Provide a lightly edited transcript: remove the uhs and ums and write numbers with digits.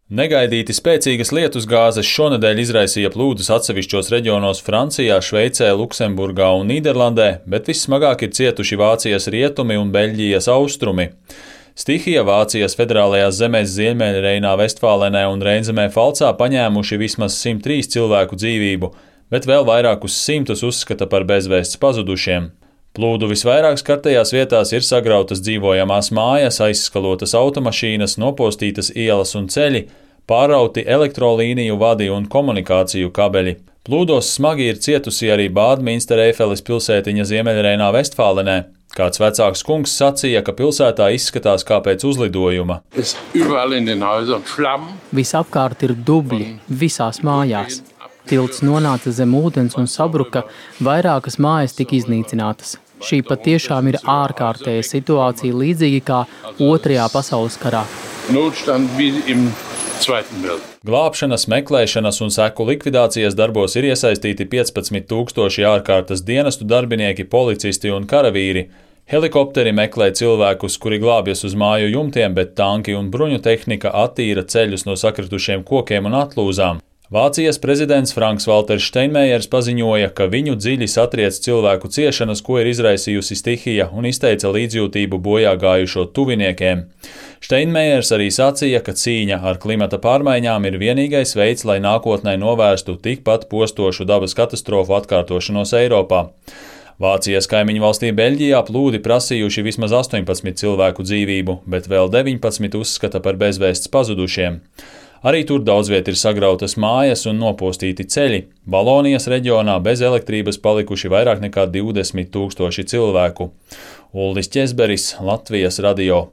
Negaidīti spēcīgas lietusgāzes šonedēļ izraisīja plūdus atsevišķos reģionos Francijā, Šveicē, Luksemburgā un Nīderlandē, bet vissmagāk ir cietuši Vācijas rietumi un Beļģijas austrumi. Stihija Vācijas federālajās zemēs Ziemeļreinā, Vestfālenē un Reinzemē Falcā paņēmuši vismaz 103 cilvēku dzīvību, bet vēl vairākus simtus uzskata par bezvēsts pazudušiem. Plūdu visvairāk skartajās vietās ir sagrautas dzīvojamās mājas, aizskalotas automašīnas, nopostītas ielas un ceļi, pārrauti elektrolīniju vadi un komunikāciju kabeļi. Plūdos smagi ir cietusi arī Bādminstereifeles pilsētiņa Ziemeļreinā, Vestfālenē. Kāds vecāks kungs sacīja, ka pilsētā izskatās kā pēc uzlidojuma. Visapkārt ir dubļi, visās mājās. Tilts nonāca zem ūdens un sabruka, vairākas mājas tika iznīcinātas. Šī patiešām ir ārkārtēja situācija, līdzīgi kā Otrajā pasaules karā. Glābšanas, meklēšanas un seku likvidācijas darbos ir iesaistīti 15 000 ārkārtas dienestu darbinieki, policisti un karavīri. Helikopteri meklē cilvēkus, kuri glābjas uz māju jumtiem, bet tanki un bruņu tehnika attīra ceļus no sakritušiem kokiem un atlūzām. Vācijas prezidents Franks-Valters Steinmeiers paziņoja, ka viņu dziļi satriec cilvēku ciešanas, ko ir izraisījusi stihija, un izteica līdzjūtību bojā gājušo tuviniekiem. Steinmeiers arī sacīja, ka cīņa ar klimata pārmaiņām ir vienīgais veids, lai nākotnē novērstu tikpat postošu dabas katastrofu atkārtošanos Eiropā. Vācijas kaimiņu valstī Beļģijā plūdi prasījuši vismaz 18 cilvēku dzīvību, bet vēl 19 uzskata par bezvēsts pazudušiem. Arī tur daudz viet ir sagrautas mājas un nopostīti ceļi. Valonijas reģionā bez elektrības palikuši vairāk nekā 20 000 cilvēku. Uldis Ķezberis, Latvijas radio.